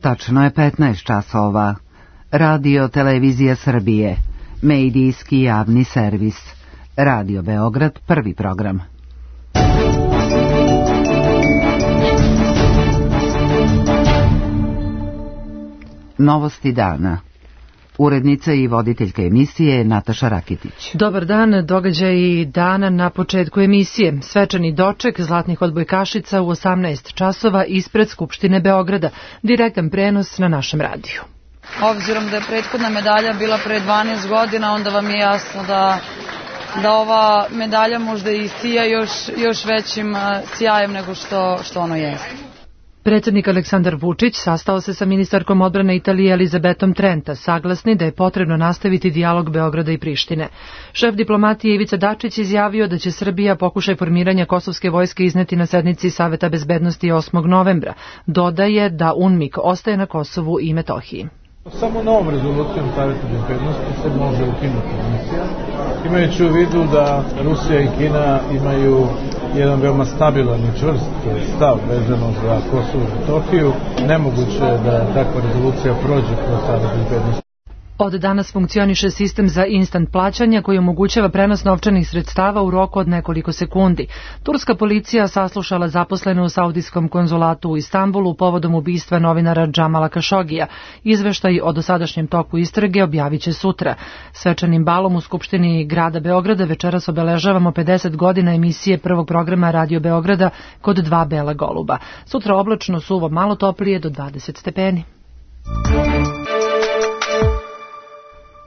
Tačno je 15 časova. Radio Televizija Srbije. Medijski javni servis. Radio Beograd, prvi program. Novosti dana. Urednica i voditeljka emisije Nataša Rakitić. Dobar dan, događaji dana na početku emisije. Svečani doček zlatnih odbojkašica u 18 časova ispred Skupštine Beograda. Direktan prenos na našem radiju. Obzirom da je prethodna medalja bila pre 12 godina, onda vam je jasno da ova medalja možda i sija još većim sjajem nego što ono jeste. Predsjednik Aleksandar Vučić sastao se sa ministarkom odbrane Italije Elizabetom Trenta, saglasni da je potrebno nastaviti dijalog Beograda i Prištine. Šef diplomatije Ivica Dačić izjavio da će Srbija pokušaj formiranja kosovske vojske izneti na sednici Saveta bezbednosti 8. novembra. Dodaje da UNMIK ostaje na Kosovu i Metohiji. Samo novom rezolucijom Saveta bezbednosti se može ukinuti misija, imajući u vidu da Rusija i Kina imaju jedan veoma stabilan i čvrst stav vezano za Kosovo i Metohiju. Nemoguće je da takva rezolucija prođe kroz Savet bezbednosti. Od danas funkcioniše sistem za instant plaćanja koji omogućava prenos novčanih sredstava u roku od nekoliko sekundi. Turska policija saslušala zaposlene u saudijskom konzulatu u Istanbulu povodom ubistva novinara Džamala Kašogija. Izveštaj o dosadašnjem toku istrage objavit će sutra. Svečanim balom u Skupštini grada Beograda večeras obeležavamo 50 godina emisije prvog programa Radio Beograda Kod dva bela goluba. Sutra oblačno, suvo, malo toplije do 20 stepeni.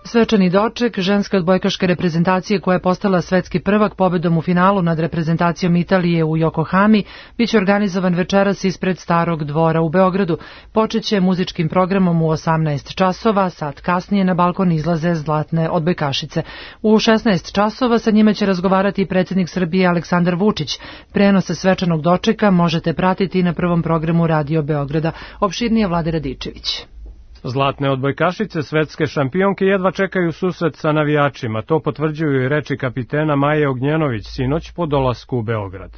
Svečani doček ženske odbojkaške reprezentacije koja je postala svetski prvak pobedom u finalu nad reprezentacijom Italije u Yokohami biće organizovan večeras ispred Starog dvora u Beogradu. Počeće muzičkim programom u 18 časova, sat kasnije na balkon izlaze zlatne odbojkašice. U 16 časova sa njima će razgovarati i predsjednik Srbije Aleksandar Vučić. Prenose svečanog dočeka možete pratiti na prvom programu Radio Beograda. Opširnije Vlade Radičević. Zlatne odbojkašice svetske šampionke jedva čekaju susret sa navijačima. To potvrđuju i reči kapitena Maje Ognjenović sinoć po dolasku u Beograd.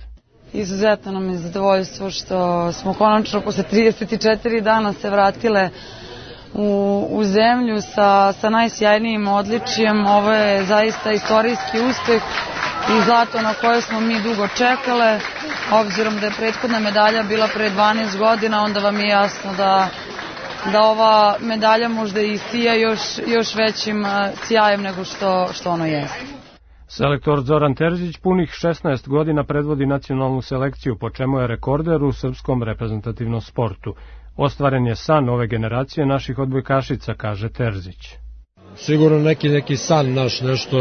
Izuzetno nam je zadovoljstvo što smo konačno posle 34 dana se vratile u zemlju sa najsjajnijim odličjem. Ovo je zaista istorijski uspeh i zlato na koje smo mi dugo čekale. Obzirom da je prethodna medalja bila pre 12 godina, onda vam je jasno da ova medalja možda i sija još većim sjajem nego što ono jeste. Selektor Zoran Terzić punih 16 godina predvodi nacionalnu selekciju, po čemu je rekorder u srpskom reprezentativnom sportu. Ostvaren je san ove generacije naših odbojkašica, kaže Terzić. Sigurno neki san naš, nešto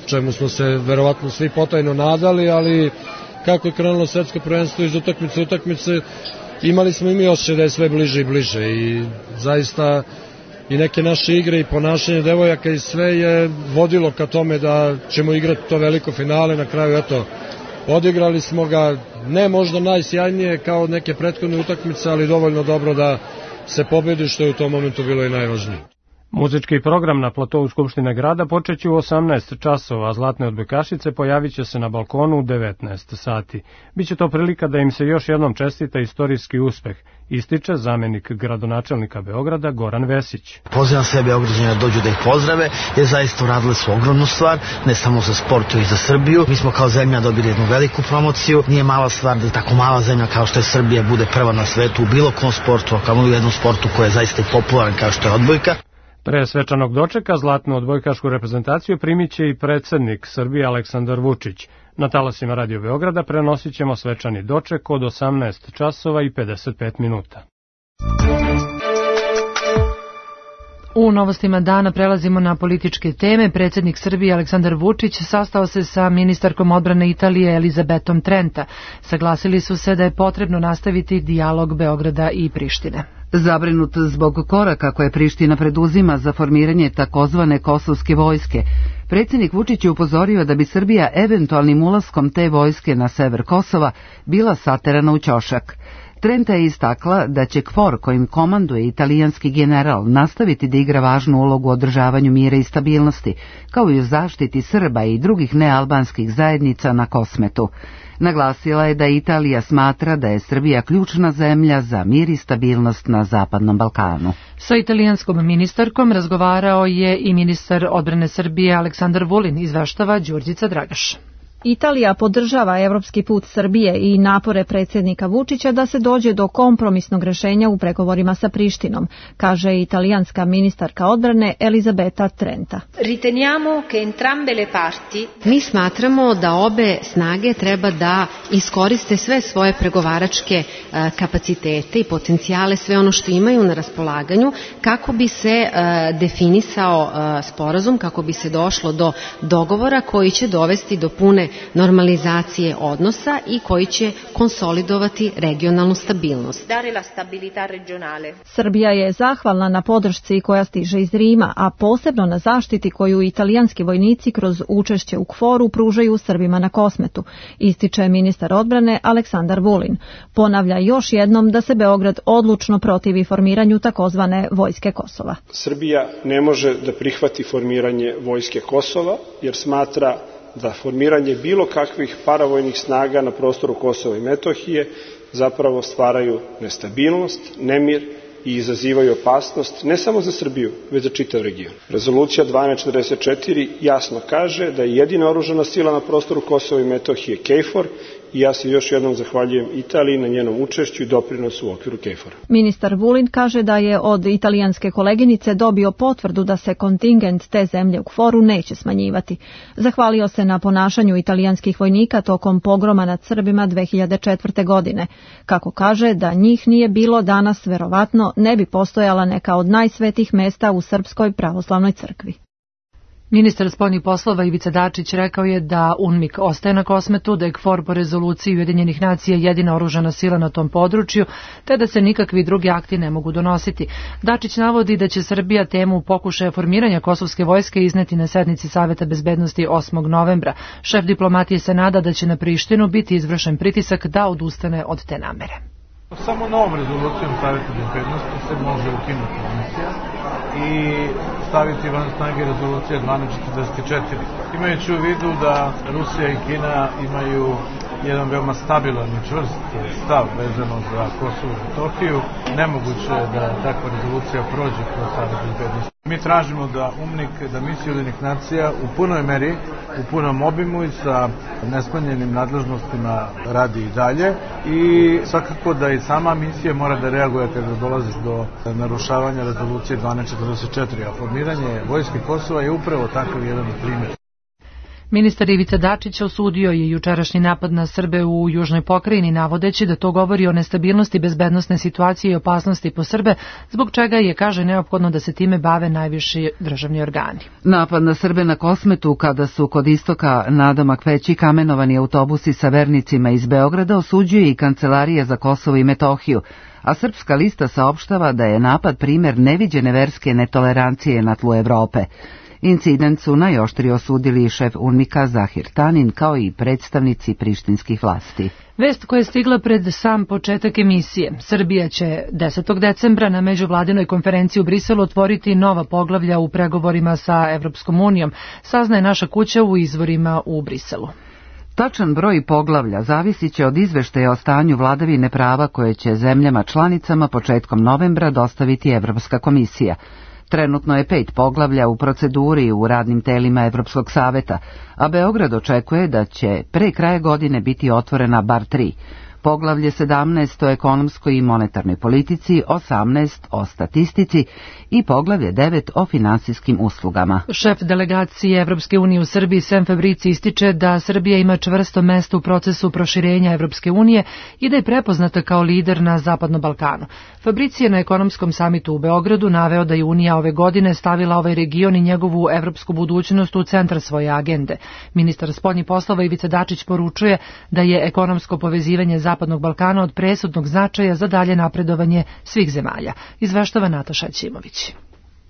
čemu smo se verovatno svi potajno nadali, ali kako je krenulo svetsko prvenstvo iz utakmice, imali smo i mi osjećaj da je sve bliže i bliže i zaista i neke naše igre i ponašanje devojaka i sve je vodilo ka tome da ćemo igrati to veliko finale. Na kraju, eto, odigrali smo ga, ne možda najsjajnije kao neke prethodne utakmice, ali dovoljno dobro da se pobedi, što je u tom momentu bilo i najvažnije. Muzički program na platovu Skupštine grada počeće u 18 časova, a zlatne odbojkašice pojavit će se na balkonu u 19 sati. Biće to prilika da im se još jednom čestita istorijski uspeh, ističe zamenik gradonačelnika Beograda Goran Vesić. Pozivam sve Beograđane da dođu da ih pozdrave, jer zaista uradili su ogromnu stvar, ne samo za sport i za Srbiju. Mi smo kao zemlja dobili jednu veliku promociju, nije mala stvar da tako mala zemlja kao što je Srbija bude prva na svetu u bilo kom sportu, a kao u jednom sportu koji je zaista popularan kao što je odbojka. Pre svečanog dočeka zlatnu odbojkašku reprezentaciju primit će i predsjednik Srbije Aleksandar Vučić. Na talasima Radio Beograda prenosit ćemo svečani doček od 18 časova i 55 minuta. U novostima dana prelazimo na političke teme. Predsjednik Srbije Aleksandar Vučić sastao se sa ministarkom odbrane Italije Elizabetom Trenta. Saglasili su se da je potrebno nastaviti dijalog Beograda i Prištine. Zabrinut zbog koraka koje Priština preduzima za formiranje takozvane kosovske vojske, predsjednik Vučić je upozorio da bi Srbija eventualnim ulaskom te vojske na sever Kosova bila saterana u ćošak. Trenta je istakla da će KFOR kojim komanduje italijanski general nastaviti da igra važnu ulogu u održavanju mira i stabilnosti, kao i u zaštiti Srba i drugih nealbanskih zajednica na Kosmetu. Naglasila je da Italija smatra da je Srbija ključna zemlja za mir i stabilnost na Zapadnom Balkanu. Sa italijanskom ministarkom razgovarao je i ministar odbrane Srbije Aleksandar Vulin, izveštava Đurđica Dragaš. Italija podržava evropski put Srbije i napore predsjednika Vučića da se dođe do kompromisnog rješenja u pregovorima sa Prištinom, kaže italijanska ministarka odbrane Elisabetta Trenta. Mi smatramo da obe snage treba da iskoriste sve svoje pregovaračke kapacitete i potencijale, sve ono što imaju na raspolaganju, kako bi se definisao sporazum, kako bi se došlo do dogovora koji će dovesti do pune normalizacije odnosa i koji će konsolidovati regionalnu stabilnost. Srbija je zahvalna na podršci koja stiže iz Rima, a posebno na zaštiti koju italijanski vojnici kroz učešće u KFOR-u pružaju Srbima na Kosmetu, ističe ministar odbrane Aleksandar Vulin. Ponavlja još jednom da se Beograd odlučno protivi formiranju takozvane vojske Kosova. Srbija ne može da prihvati formiranje vojske Kosova jer smatra da formiranje bilo kakvih paravojnih snaga na prostoru Kosova i Metohije zapravo stvaraju nestabilnost, nemir i izazivaju opasnost ne samo za Srbiju, već za čitav region. Rezolucija 1244 jasno kaže da je jedina oružana sila na prostoru Kosova i Metohije KFOR i ja se još jednom zahvaljujem Italiji na njenom učešću i doprinosu u okviru KFOR-a. Ministar Vulin kaže da je od italijanske koleginice dobio potvrdu da se kontingent te zemlje u KFOR-u neće smanjivati. Zahvalio se na ponašanju italijanskih vojnika tokom pogroma nad Srbima 2004. godine. Kako kaže, da njih nije bilo danas, verovatno ne bi postojala neka od najsvetih mesta u Srpskoj pravoslavnoj crkvi. Ministar spoljnih poslova Ivica Dačić rekao je da UNMIK ostaje na Kosmetu, da je KFOR po rezoluciji Ujedinjenih nacija jedina oružana sila na tom području, te da se nikakvi drugi akti ne mogu donositi. Dačić navodi da će Srbija temu pokušaja formiranja kosovske vojske izneti na sednici Saveta bezbednosti 8. novembra. Šef diplomatije se nada da će na Prištinu biti izvršen pritisak da odustane od te namere. Samo novom rezolucijom Saveta bezbednosti se može ukinuti misija i staviti van snage rezolucije 1244. Imajući u vidu da Rusija i Kina imaju jedan veoma stabilan i čvrst stav vezano za Kosovo i Metohiju, nemoguće je da takva rezolucija prođe kroz Savet bezbednosti. Mi tražimo da UNMIK, da misija Ujedinjenih nacija u punoj meri, u punom obimu i sa nesmanjenim nadležnostima radi i dalje i svakako da i sama misija mora da reaguje kada dolazi do narušavanja rezolucije 1244, a formiranje vojske Kosova je upravo takav jedan primjer. Ministar Ivica Dačić osudio je jučerašnji napad na Srbe u južnoj pokrajini, navodeći da to govori o nestabilnosti bezbednosne situacije i opasnosti po Srbe, zbog čega je, kaže, neophodno da se time bave najviši državni organi. Napad na Srbe na Kosmetu, kada su kod istoka nadomak veći kamenovani autobusi sa vernicima iz Beograda, osuđuje i Kancelarija za Kosovo i Metohiju, a Srpska lista saopštava da je napad primjer neviđene verske netolerancije na tlu Evrope. Incident su najoštrije osudili i šef UNMIK-a Zahir Tanin, kao i predstavnici prištinskih vlasti. Vest koja je stigla pred sam početak emisije. Srbija će 10. decembra na međuvladinoj konferenciji u Briselu otvoriti nova poglavlja u pregovorima sa Evropskom unijom, saznaje naša kuća u izvorima u Briselu. Tačan broj poglavlja zavisit će od izveštaja o stanju vladavine prava koje će zemljama članicama početkom novembra dostaviti Evropska komisija. Trenutno je 5 poglavlja u proceduri u radnim telima Evropskog saveta, a Beograd očekuje da će pre kraja godine biti otvorena bar 3. Poglavlje 17 o ekonomskoj i monetarnoj politici, 18 o statistici i poglavlje 9 o finansijskim uslugama. Šef delegacije Evropske unije u Srbiji Sem Fabrici ističe da Srbija ima čvrsto mesto u procesu proširenja Evropske unije i da je prepoznata kao lider na Zapadnom Balkanu. Fabrici je na ekonomskom samitu u Beogradu naveo da je Unija ove godine stavila ovaj region i njegovu evropsku budućnost u centar svoje agende. Ministar spoljnih poslova Ivica Dačić poručuje da je ekonomsko povezivanje Zapadnog Balkana od presudnog značaja za dalje napredovanje svih zemalja, izveštava Nataša Ćimović.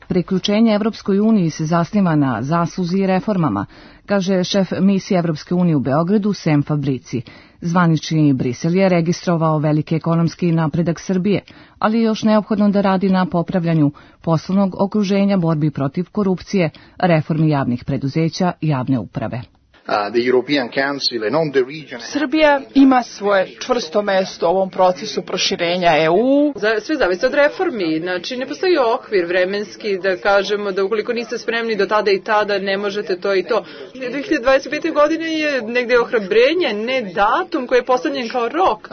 Priključenje Evropskoj uniji se zasniva na zasluzi i reformama, kaže šef misije Evropske unije u Beogradu Sem Fabrici. Zvanični Brisel je registrovao veliki ekonomski napredak Srbije, ali je još neophodno da radi na popravljanju poslovnog okruženja, borbi protiv korupcije, reformi javnih preduzeća i javne uprave. Srbija ima svoje čvrsto mesto u ovom procesu proširenja EU. Sve zavisi od reformi, znači ne postoji okvir vremenski da kažemo da ukoliko niste spremni do tada i tada ne možete to i to. 2025. godine je negde ohrabrenje, ne datum koji je postavljen kao rok.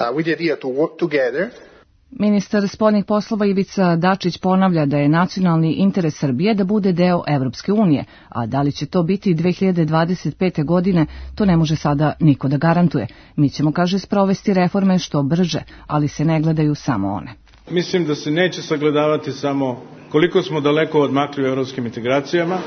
Ministar spoljnih poslova Ivica Dačić ponavlja da je nacionalni interes Srbije da bude deo Evropske unije, a da li će to biti 2025. godine, to ne može sada niko da garantuje. Mi ćemo, kaže, sprovesti reforme što brže, ali se ne gledaju samo one. Mislim da se neće sagledavati samo koliko smo daleko odmakli u evropskim integracijama,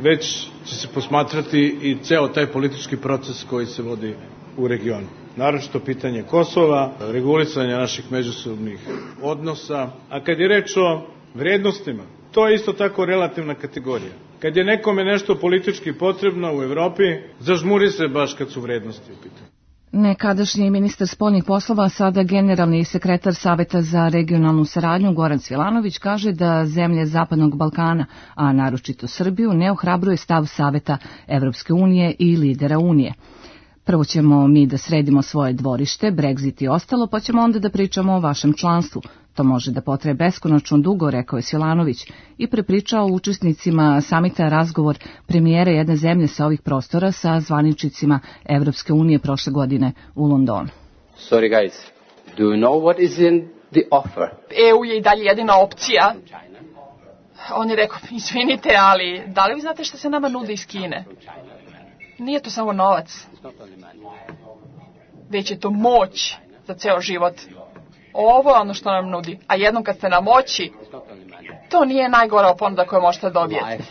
već će se posmatrati i ceo taj politički proces koji se vodi u regionu. Naročito pitanje Kosova, regulisanje naših međusobnih odnosa, a kad je reč o vrednostima, to je isto tako relativna kategorija. Kad je nekome nešto politički potrebno u Evropi, zažmuri se baš kad su vrednosti u pitanju. Nekadašnji ministar spoljnih poslova, sada generalni sekretar Saveta za regionalnu saradnju Goran Svilanović kaže da zemlje Zapadnog Balkana, a naročito Srbiju, ne ohrabruje stav Saveta Evropske unije i lidera Unije. Prvo ćemo mi da sredimo svoje dvorište, Brexit i ostalo, pa ćemo onda da pričamo o vašem članstvu. To može da potraje beskonačno dugo, rekao je Svilanović i prepričao učesnicima samita razgovor premijera jedne zemlje sa ovih prostora sa zvaničnicima Evropske unije prošle godine u Londonu. Sorry guys, do you know what is in the offer? EU je i dalje jedina opcija. On je rekao, izvinite, ali da li vi znate što se nama nudi iz Kine? Nije to samo novac, već je to moć za ceo život. Ovo je ono što nam nudi, a jednom kad ste na moći, to nije najgora ponuda koju možete dobijeti.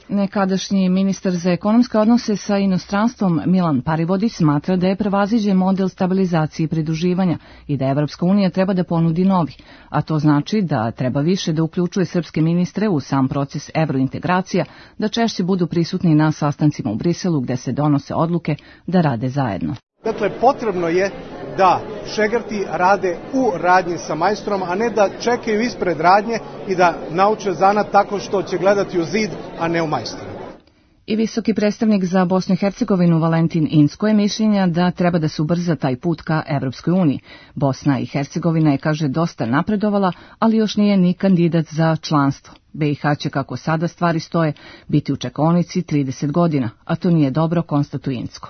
Nekadašnji ministar za ekonomske odnose sa inostranstvom Milan Parivodić smatra da je prevaziđen model stabilizacije i pridruživanja i da Evropska unija treba da ponudi novi, a to znači da treba više da uključuje srpske ministre u sam proces evrointegracija, da češće budu prisutni na sastancima u Briselu gde se donose odluke da rade zajedno. Dakle, potrebno je da šegrti rade u radnji sa majstrom, a ne da čekaju ispred radnje i da nauče zanat tako što će gledati u zid, a ne u majstora. I visoki predstavnik za Bosnu i Hercegovinu Valentin Inzko je mišljenja da treba da se ubrza taj put ka Evropskoj uniji. Bosna i Hercegovina je, kaže, dosta napredovala, ali još nije ni kandidat za članstvo. BiH će, kako sada stvari stoje, biti u čekaonici 30 godina, a to nije dobro, konstatuje Inzko.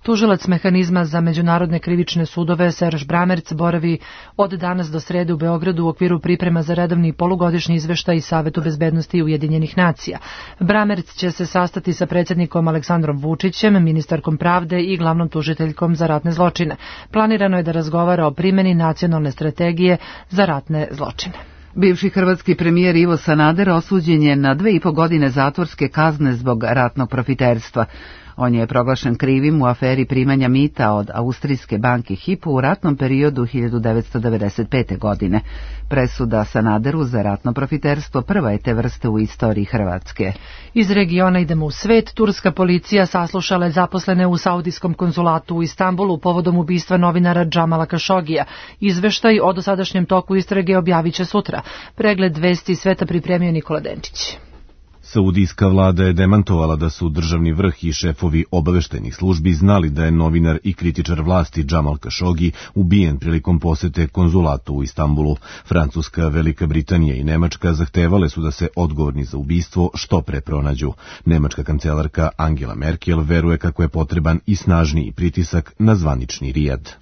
Tužilac mehanizma za međunarodne krivične sudove Serž Bramerc boravi od danas do srede u Beogradu u okviru priprema za redovni polugodišnji izveštaj Savetu bezbednosti Ujedinjenih nacija. Bramerc će se sastati sa predsjednikom Aleksandrom Vučićem, ministarkom pravde i glavnom tužiteljkom za ratne zločine. Planirano je da razgovara o primjeni nacionalne strategije za ratne zločine. Bivši hrvatski premijer Ivo Sanader osuđen je na 2,5 godine zatvorske kazne zbog ratnog profiterstva. On je proglašen krivim u aferi primanja mita od austrijske banke Hypo u ratnom periodu 1995. godine. Presuda Sanaderu za ratno profiterstvo prva je te vrste u istoriji Hrvatske. Iz regiona idemo u svet. Turska policija saslušala je zaposlene u saudijskom konzulatu u Istanbulu povodom ubistva novinara Džamala Kašogija. Izveštaj o dosadašnjem toku istrage objavit će sutra. Pregled vesti sveta pripremio Nikola Denčić. Saudijska vlada je demantovala da su državni vrh i šefovi obaveštajnih službi znali da je novinar i kritičar vlasti Džamal Kašogi ubijen prilikom posete konzulatu u Istanbulu. Francuska, Velika Britanija i Nemačka zahtevale su da se odgovorni za ubistvo što pre pronađu. Nemačka kancelarka Angela Merkel veruje kako je potreban i snažniji pritisak na zvanični Rijad.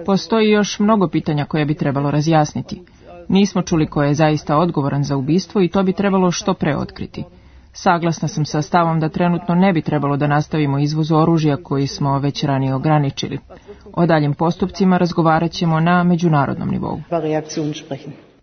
Postoji još mnogo pitanja koje bi trebalo razjasniti. Nismo čuli ko je zaista odgovoran za ubistvo i to bi trebalo što pre otkriti. Saglasna sam sa stavom da trenutno ne bi trebalo da nastavimo izvoz oružja koji smo već ranije ograničili. O daljim postupcima razgovarat ćemo na međunarodnom nivou.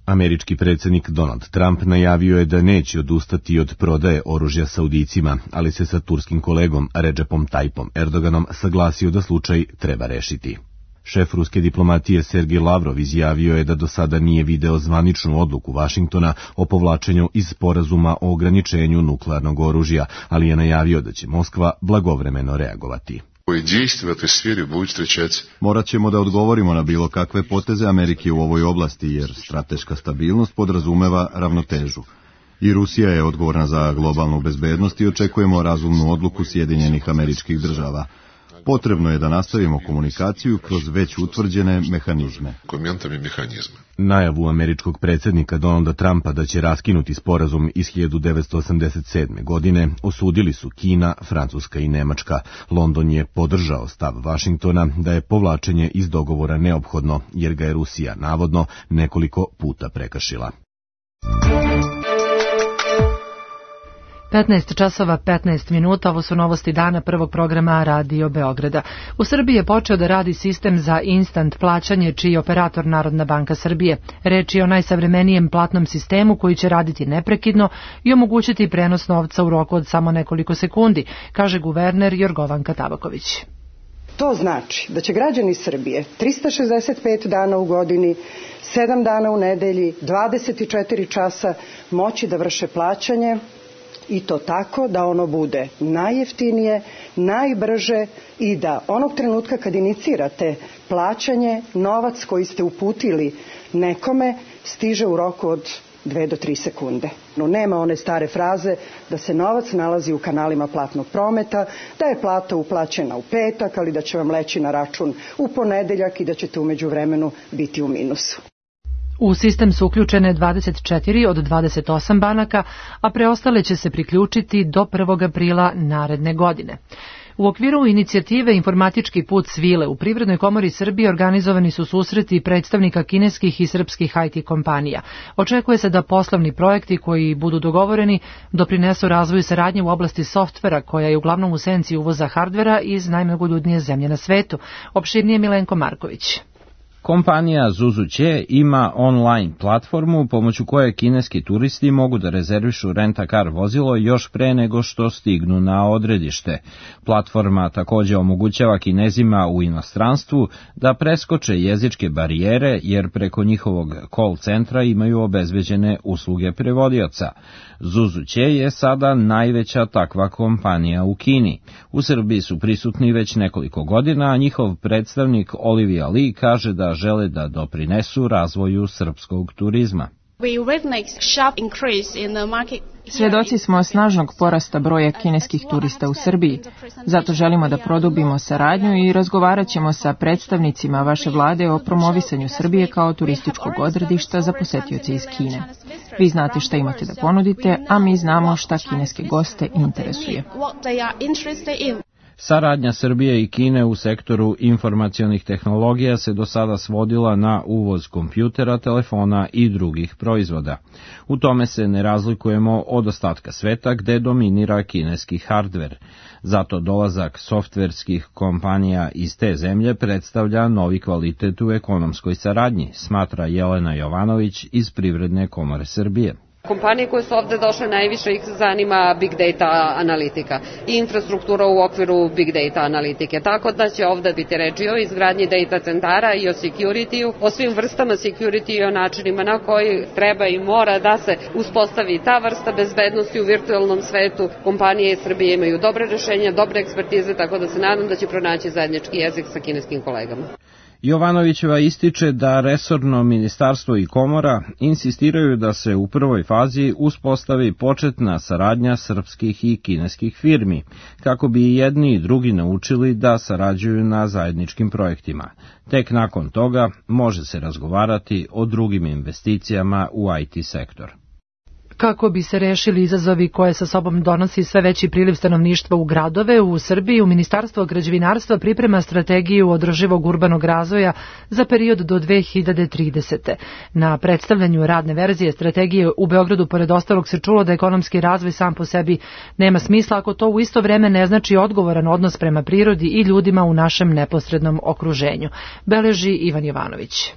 Američki predsjednik Donald Trump najavio je da neće odustati od prodaje oružja Saudijcima, ali se sa turskim kolegom Recepom Tayyipom Erdoganom saglasio da slučaj treba rešiti. Šef ruske diplomatije Sergej Lavrov izjavio je da do sada nije video zvaničnu odluku Vašingtona o povlačenju iz sporazuma o ograničenju nuklearnog oružja, ali je najavio da će Moskva blagovremeno reagovati. Morat ćemo da odgovorimo na bilo kakve poteze Amerike u ovoj oblasti, jer strateška stabilnost podrazumeva ravnotežu. I Rusija je odgovorna za globalnu bezbednost i očekujemo razumnu odluku Sjedinjenih Američkih Država. Potrebno je da nastavimo komunikaciju kroz već utvrđene mehanizme. Najavu američkog predsjednika Donalda Trumpa da će raskinuti sporazum iz 1987. godine osudili su Kina, Francuska i Nemačka. London je podržao stav Vašingtona da je povlačenje iz dogovora neophodno, jer ga je Rusija navodno nekoliko puta prekršila. 15 časova 15 minuta, ovo su novosti dana prvog programa Radio Beograda. U Srbiji je počeo da radi sistem za instant plaćanje, čiji je operator Narodna banka Srbije. Reč je o najsavremenijem platnom sistemu koji će raditi neprekidno i omogućiti prenos novca u roku od samo nekoliko sekundi, kaže guverner Jorgovanka Tabaković. To znači da će građani Srbije 365 dana u godini, 7 dana u nedelji, 24 časa moći da vrše plaćanje, i to tako da ono bude najjeftinije, najbrže i da onog trenutka kad inicirate plaćanje, novac koji ste uputili nekome stiže u roku od 2 do 3 sekunde. No, nema one stare fraze da se novac nalazi u kanalima platnog prometa, da je plata uplaćena u petak, ali da će vam leći na račun u ponedeljak i da ćete u međuvremenu biti u minusu. U sistem su uključene 24 od 28 banaka, a preostale će se priključiti do 1. aprila naredne godine. U okviru inicijative Informatički put svile u Privrednoj komori Srbije organizovani su susreti predstavnika kineskih i srpskih IT kompanija. Očekuje se da poslovni projekti koji budu dogovoreni doprinesu razvoju saradnje u oblasti softvera, koja je uglavnom u senci uvoza hardvera iz najmnogoljudnije zemlje na svetu. Opširnije Milenko Marković. Kompanija Zuzuće ima online platformu pomoću koje kineski turisti mogu da rezervišu rent-a-car vozilo još pre nego što stignu na odredište. Platforma takođe omogućava Kinezima u inostranstvu da preskoče jezičke barijere, jer preko njihovog call centra imaju obezbeđene usluge prevodioca. Zuzuće je sada najveća takva kompanija u Kini. U Srbiji su prisutni već nekoliko godina, a njihov predstavnik Olivia Lee kaže da žele da doprinesu razvoju srpskog turizma. Svedoci smo snažnog porasta broja kineskih turista u Srbiji, zato želimo da produbimo saradnju i razgovarat ćemo sa predstavnicima vaše vlade o promovisanju Srbije kao turističkog odredišta za posetioce iz Kine. Vi znate šta imate da ponudite, a mi znamo šta kineske goste interesuje. Saradnja Srbije i Kine u sektoru informacionih tehnologija se do sada svodila na uvoz kompjutera, telefona i drugih proizvoda. U tome se ne razlikujemo od ostatka sveta gde dominira kineski hardver. Zato dolazak softverskih kompanija iz te zemlje predstavlja novi kvalitet u ekonomskoj saradnji, smatra Jelena Jovanović iz Privredne komore Srbije. Kompanije koje su ovde došle najviše ih zanima big data analitika i infrastruktura u okviru big data analitike. Tako da će ovde biti reči o izgradnji data centara i o security-u, o svim vrstama security i o načinima na koji treba i mora da se uspostavi ta vrsta bezbednosti u virtualnom svetu. Kompanije iz Srbije imaju dobre rešenja, dobre ekspertize, tako da se nadam da će pronaći zajednički jezik sa kineskim kolegama. Jovanovićeva ističe da resorno ministarstvo i komora insistiraju da se u prvoj fazi uspostavi početna saradnja srpskih i kineskih firmi, kako bi i jedni i drugi naučili da sarađuju na zajedničkim projektima. Tek nakon toga može se razgovarati o drugim investicijama u IT sektor. Kako bi se rešili izazovi koje sa sobom donosi sve veći priliv stanovništva u gradove, u Srbiji Ministarstvo građevinarstva priprema strategiju održivog urbanog razvoja za period do 2030. Na predstavljanju radne verzije strategije u Beogradu pored ostalog se čulo da ekonomski razvoj sam po sebi nema smisla ako to u isto vreme ne znači odgovoran odnos prema prirodi i ljudima u našem neposrednom okruženju, beleži Ivan Jovanović.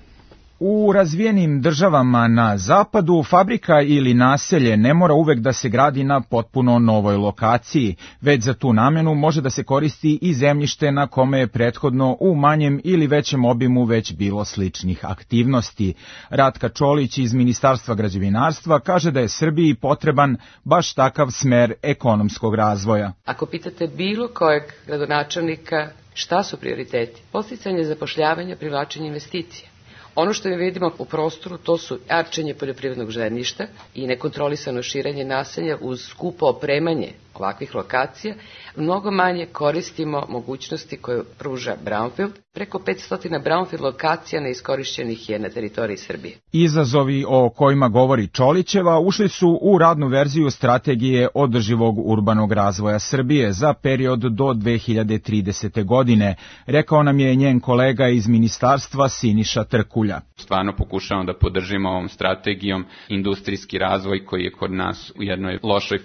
U razvijenim državama na zapadu fabrika ili naselje ne mora uvek da se gradi na potpuno novoj lokaciji, već za tu namenu može da se koristi i zemljište na kome je prethodno u manjem ili većem obimu već bilo sličnih aktivnosti. Ratka Čolić iz Ministarstva građevinarstva kaže da je Srbiji potreban baš takav smer ekonomskog razvoja. Ako pitate bilo kojeg gradonačelnika šta su prioriteti, podsticanje zapošljavanja, privlačenje investicija. Ono što mi vidimo u prostoru, to su arčenje poljoprivrednog zemljišta i nekontrolisano širenje naselja uz skupo opremanje ovakvih lokacija. Mnogo manje koristimo mogućnosti koje pruža brownfield. Preko 500 brownfield lokacija neiskorišćenih je na teritoriji Srbije. Izazovi o kojima govori Čolićeva ušli su u radnu verziju strategije održivog urbanog razvoja Srbije za period do 2030. godine, rekao nam je njen kolega iz ministarstva Siniša Trkulja. Stvarno pokušavamo da podržimo ovom strategijom industrijski razvoj koji je kod nas u jednoj lošoj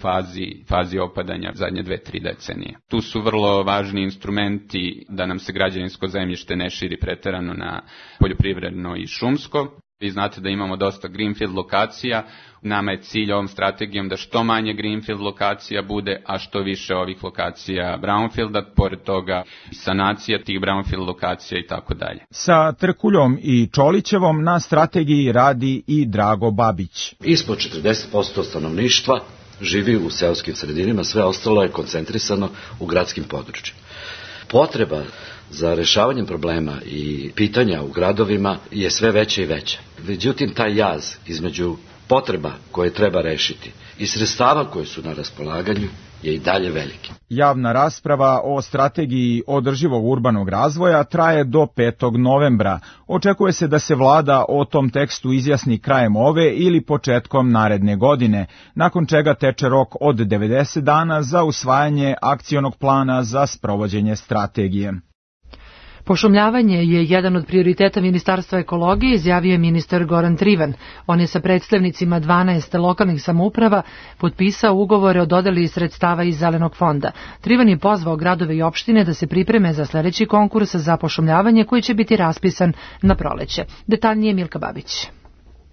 fazi opadanja zadnje 2-3 decenije. Tu su vrlo važni instrumenti da nam se građevinsko zemljište ne širi preterano na poljoprivredno i šumsko. Vi znate da imamo dosta greenfield lokacija. Nama je cilj ovom strategijom da što manje greenfield lokacija bude, a što više ovih lokacija brownfielda, pored toga sanacija tih brownfield lokacija i tako dalje. Sa Trkuljom i Čolićevom na strategiji radi i Drago Babić. Ispod 40% stanovništva živi u seoskim sredinama, sve ostalo je koncentrisano u gradskim područjima. Potreba za rešavanjem problema i pitanja u gradovima je sve veća i veća. Međutim, taj jaz između potreba koje treba rešiti i sredstava koje su na raspolaganju je i dalje veliki. Javna rasprava o strategiji održivog urbanog razvoja traje do 5. novembra. Očekuje se da se vlada o tom tekstu izjasni krajem ove ili početkom naredne godine, nakon čega teče rok od 90 dana za usvajanje akcionog plana za sprovođenje strategije. Pošumljavanje je jedan od prioriteta Ministarstva ekologije, izjavio je ministar Goran Trivan. On je sa predstavnicima 12 lokalnih samouprava potpisao ugovore o dodeli sredstava iz Zelenog fonda. Trivan je pozvao gradove i opštine da se pripreme za sledeći konkurs za pošumljavanje koji će biti raspisan na proleće. Detaljnije Milka Babić.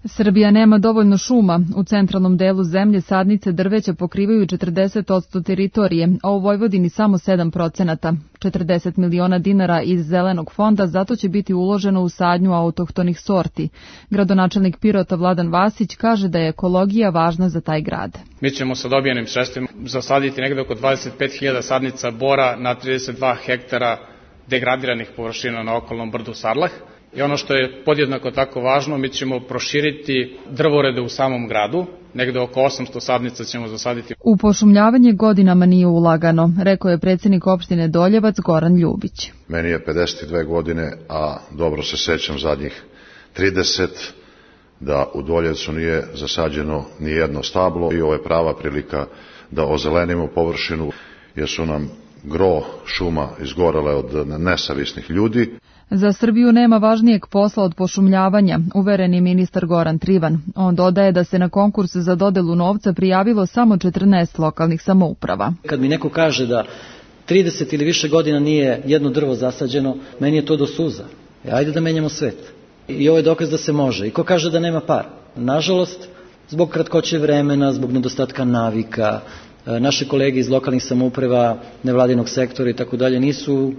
Srbija nema dovoljno šuma. U centralnom delu zemlje sadnice drveća pokrivaju 40% teritorije, a u Vojvodini samo 7%. 40 miliona dinara iz Zelenog fonda zato će biti uloženo u sadnju autohtonih sorti. Gradonačelnik Pirota Vladan Vasić kaže da je ekologija važna za taj grad. Mi ćemo sa dobijenim sredstvima zasaditi negde oko 25.000 sadnica bora na 32 hektara degradiranih površina na okolnom brdu Sarlah. I ono što je podjednako tako važno, mi ćemo proširiti drvorede u samom gradu, negde oko 800 sadnica ćemo zasaditi. U pošumljavanje godinama nije ulagano, rekao je predsjednik opštine Doljevac Goran Ljubić. Meni je 52 godine, a dobro se sećam zadnjih 30, da u Doljevcu nije zasađeno ni jedno stablo i ovo je prava prilika da ozelenimo površinu, jer su nam gro šuma izgorele od nesavisnih ljudi. Za Srbiju nema važnijeg posla od pošumljavanja, uveren je ministar Goran Trivan. On dodaje da se na konkurs za dodelu novca prijavilo samo 14 lokalnih samouprava. Kad mi neko kaže da 30 ili više godina nije jedno drvo zasađeno, meni je to do suza. Ajde da menjamo svet. I ovo je dokaz da se može. I ko kaže da nema para? Nažalost, zbog kratkoće vremena, zbog nedostatka navika, naše kolege iz lokalnih samouprava, nevladinog sektora i tako dalje nisu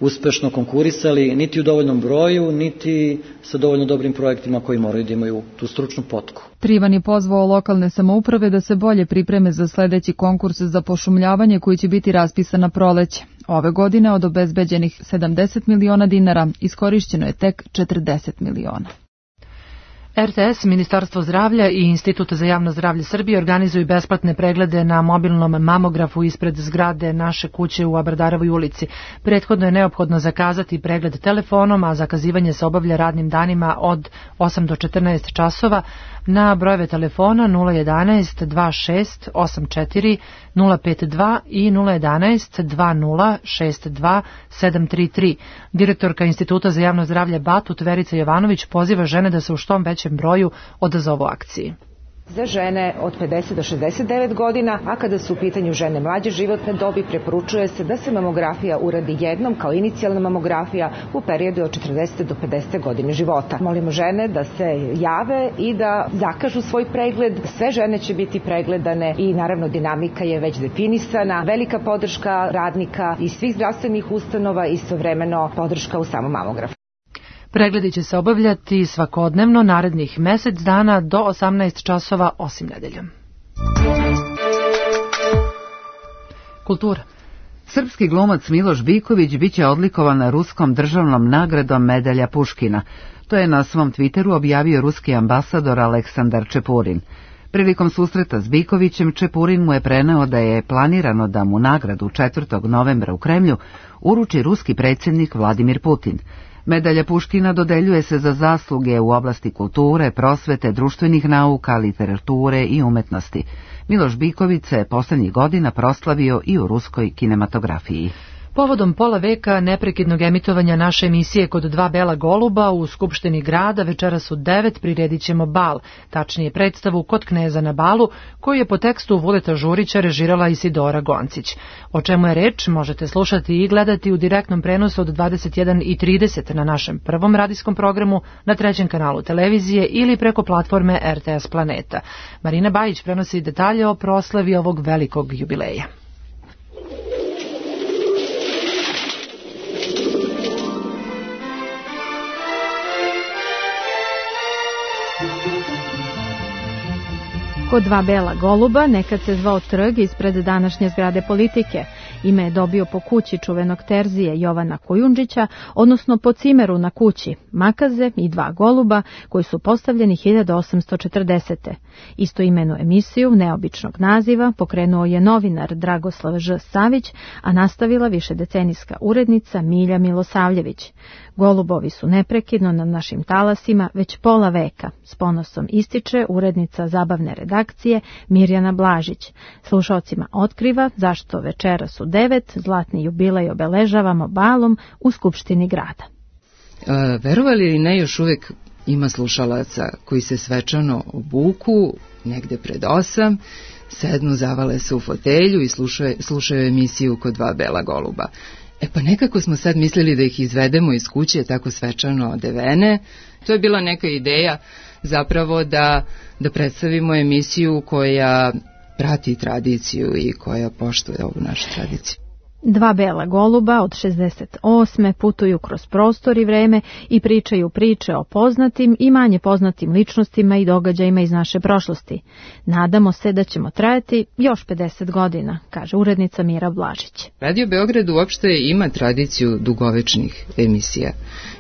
uspešno konkurisali niti u dovoljnom broju, niti sa dovoljno dobrim projektima koji moraju da imaju tu stručnu potku. Trivan je pozvao lokalne samouprave da se bolje pripreme za sledeći konkurs za pošumljavanje koji će biti raspisan na proleće. Ove godine od obezbeđenih 70 miliona dinara iskorišćeno je tek 40 miliona. RTS, Ministarstvo zdravlja i Institut za javno zdravlje Srbije organizuju besplatne preglede na mobilnom mamografu ispred zgrade naše kuće u Abardarovoj ulici. Prethodno je neophodno zakazati pregled telefonom, a zakazivanje se obavlja radnim danima od 8 do 14 časova na brojeve telefona 011 26 84 052 i 011 20 62 733. Direktorka Instituta za javno zdravlje Batut Verica Jovanović poziva žene da se u što većem broju odazovu akciji. Za žene od 50 do 69 godina, a kada su u pitanju žene mlađe životne dobi, preporučuje se da se mamografija uradi jednom kao inicijalna mamografija u periodu od 40 do 50 godine života. Molimo žene da se jave i da zakažu svoj pregled. Sve žene će biti pregledane i naravno dinamika je već definisana. Velika podrška radnika i svih zdravstvenih ustanova i istovremeno podrška u samom mamografu. Pregledi će se obavljati svakodnevno narednih mesec dana do 18 časova osim nedeljom. Kultura. Srpski glumac Miloš Biković biće odlikovan ruskom državnom nagradom Medalja Puškina. To je na svom Twitteru objavio ruski ambasador Aleksandar Čepurin. Prilikom susreta s Bikovićem, Čepurin mu je preneo da je planirano da mu nagradu 4. novembra u Kremlju uruči ruski predsjednik Vladimir Putin. Medalja Puškina dodeljuje se za zasluge u oblasti kulture, prosvete, društvenih nauka, literature i umetnosti. Miloš Biković se posljednjih godina proslavio i u ruskoj kinematografiji. Povodom pola veka neprekidnog emitovanja naše emisije Kod dva bela goluba u Skupštini grada večeras u 9 priredit ćemo bal, tačnije predstavu Kod kneza na balu, koju je po tekstu Vuleta Žurića režirala Isidora Goncić. O čemu je reč možete slušati i gledati u direktnom prenosu od 21:30 na našem prvom radijskom programu, na 3. kanalu televizije ili preko platforme RTS Planeta. Marina Bajić prenosi detalje o proslavi ovog velikog jubileja. Kod dva bela goluba nekad se zvao trg ispred današnje zgrade Politike. Ime je dobio po kući čuvenog terzije Jovana Kujundžića, odnosno po cimeru na kući, makaze i dva goluba koji su postavljeni 1840. Istoimenu emisiju neobičnog naziva pokrenuo je novinar Dragoslav Ž. Savić, a nastavila višedecenijska urednica Milja Milosavljević. Golubovi su neprekidno na našim talasima već pola veka, s ponosom ističe urednica zabavne redakcije Mirjana Blažić. Slušaocima otkriva zašto večeras u 9 zlatni jubilej obeležavamo balom u Skupštini grada. Verovali ili ne, još uvek ima slušalaca koji se svečano obuku negde pred 8, sednu, zavale se u fotelju i slušaju emisiju Kod dva bela goluba. Pa nekako smo sad mislili da ih izvedemo iz kuće tako svečano odevene. To je bila neka ideja zapravo da predstavimo emisiju koja prati tradiciju i koja poštuje ovu našu tradiciju. Dva bela goluba od 68. putuju kroz prostor i vreme i pričaju priče o poznatim i manje poznatim ličnostima i događajima iz naše prošlosti. Nadamo se da ćemo trajati još 50 godina, kaže urednica Mira Blažić. Radio Beograd uopšte ima tradiciju dugovečnih emisija.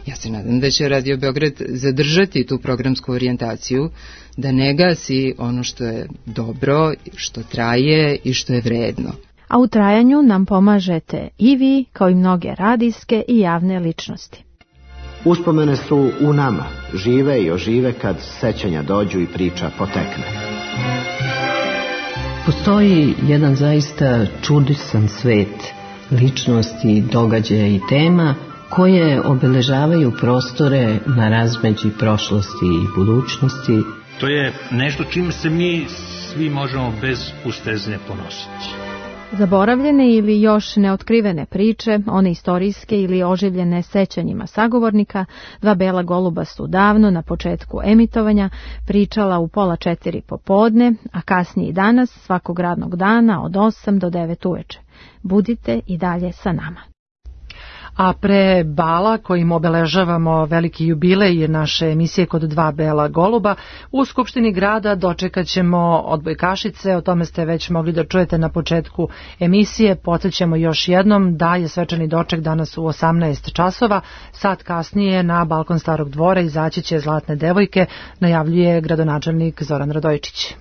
Ja se nadam da će Radio Beograd zadržati tu programsku orijentaciju, da ne gasi ono što je dobro, što traje i što je vredno. A u trajanju nam pomažete i vi, kao i mnoge radijske i javne ličnosti. Uspomene su u nama, žive i ožive kad sećanja dođu i priča potekne. Postoji jedan zaista čudisan svet ličnosti, događaja i tema koje obeležavaju prostore na razmeđi prošlosti i budućnosti. To je nešto čime se mi svi možemo bez ustezne ponositi. Zaboravljene ili još neotkrivene priče, one istorijske ili oživljene sećanjima sagovornika, dva bela goluba su davno na početku emitovanja pričala u 3:30 popodne, a kasnije i danas svakog radnog dana od 8 do 9 uveče. Budite i dalje sa nama. A pre bala kojim obeležavamo veliki jubilej naše emisije Kod dva bela goluba, u Skupštini grada dočekat ćemo odbojkašice, o tome ste već mogli da čujete na početku emisije. Podsjećamo još jednom da je svečani doček danas u 18 časova, sat kasnije na balkon Starog dvora izaći će Zlatne devojke, najavljuje gradonačelnik Zoran Radojičić.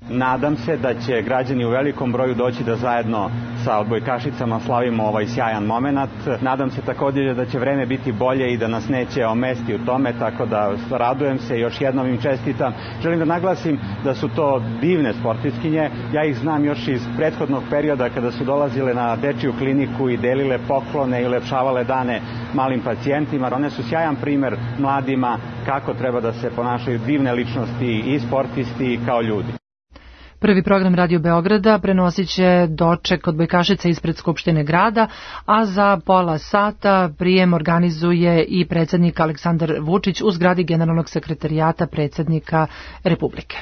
Nadam se da će građani u velikom broju doći da zajedno sa odbojkašicama slavimo ovaj sjajan moment. Nadam se također da će vreme biti bolje i da nas neće omesti u tome, tako da radujem se, još jednom im čestitam. Želim da naglasim da su to divne sportistkinje. Ja ih znam još iz prethodnog perioda kada su dolazile na dečiju kliniku i delile poklone i ulepšavale dane malim pacijentima. One su sjajan primer mladima kako treba da se ponašaju divne ličnosti i sportisti i kao ljudi. Prvi program Radio Beograda prenosit će doček odbojkašica ispred Skupštine grada, a za pola sata prijem organizuje i predsjednik Aleksandar Vučić u zgradi Generalnog sekretarijata predsjednika Republike.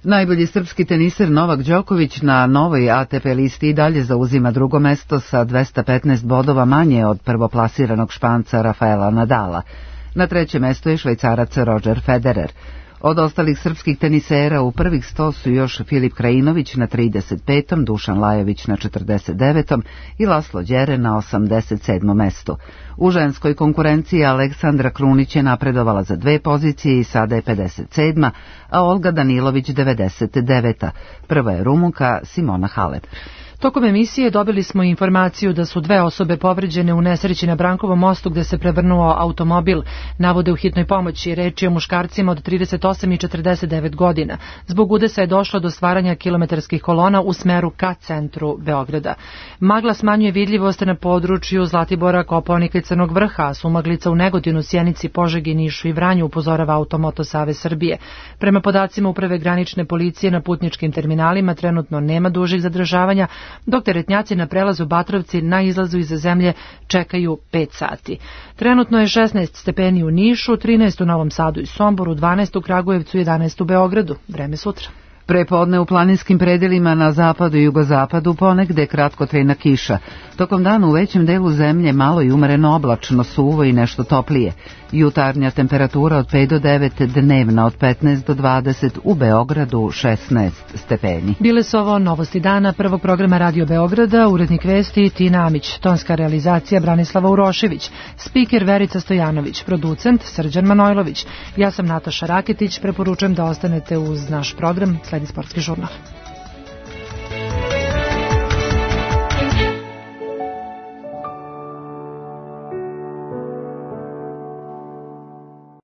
Najbolji srpski teniser Novak Đoković na novoj ATP listi i dalje zauzima drugo mesto sa 215 bodova manje od prvoplasiranog Španca Rafaela Nadala. Na trećem mestu je Švajcarac Roger Federer. Od ostalih srpskih tenisera u prvih 100 su još Filip Krajinović na 35. Dušan Lajović na 49. i Laslo Đere na 87. mestu. U ženskoj konkurenciji Aleksandra Krunić je napredovala za 2 pozicije i sada je 57. a Olga Danilović 99. Prva je Rumunka Simona Halep. Tokom emisije dobili smo informaciju da su 2 osobe povređene u nesreći na Brankovom mostu gde se prevrnuo automobil. Navode u hitnoj pomoći, reč je o muškarcima od 38 i 49 godina. Zbog udesa je došlo do stvaranja kilometarskih kolona u smeru ka centru Beograda. Magla smanjuje vidljivost na području Zlatibora, Kopaonika i Crnog Vrha, a sumaglica u Negodinu, Sjenici, Požegi, Nišu i Vranju, upozorava Automoto Savez Srbije. Prema podacima Uprave granične policije na putničkim terminalima trenutno nema dužih zadržavanja, dok teretnjaci na prelazu Batrovci na izlazu iz zemlje čekaju 5 sati. Trenutno je 16 stepeni u Nišu, 13 u Novom Sadu i Somboru, 12 u Kragujevcu, 11 u Beogradu. Vreme sutra. Prepodne u planinskim predelima na zapadu i jugozapadu ponegde kratkotrajna kiša. Tokom dana u većem delu zemlje malo i umereno oblačno, suvo i nešto toplije. Jutarnja temperatura od 5 do 9, dnevna od 15 do 20, u Beogradu 16 stepeni. Bile su ovo novosti dana prvog programa Radio Beograda, urednik vesti Tina Amić, tonska realizacija Branislava Urošević, spiker Verica Stojanović, producent Srđan Manojlović. Ja sam Nataša Raketić, preporučujem da ostanete uz naš program, sledi sportski žurnal.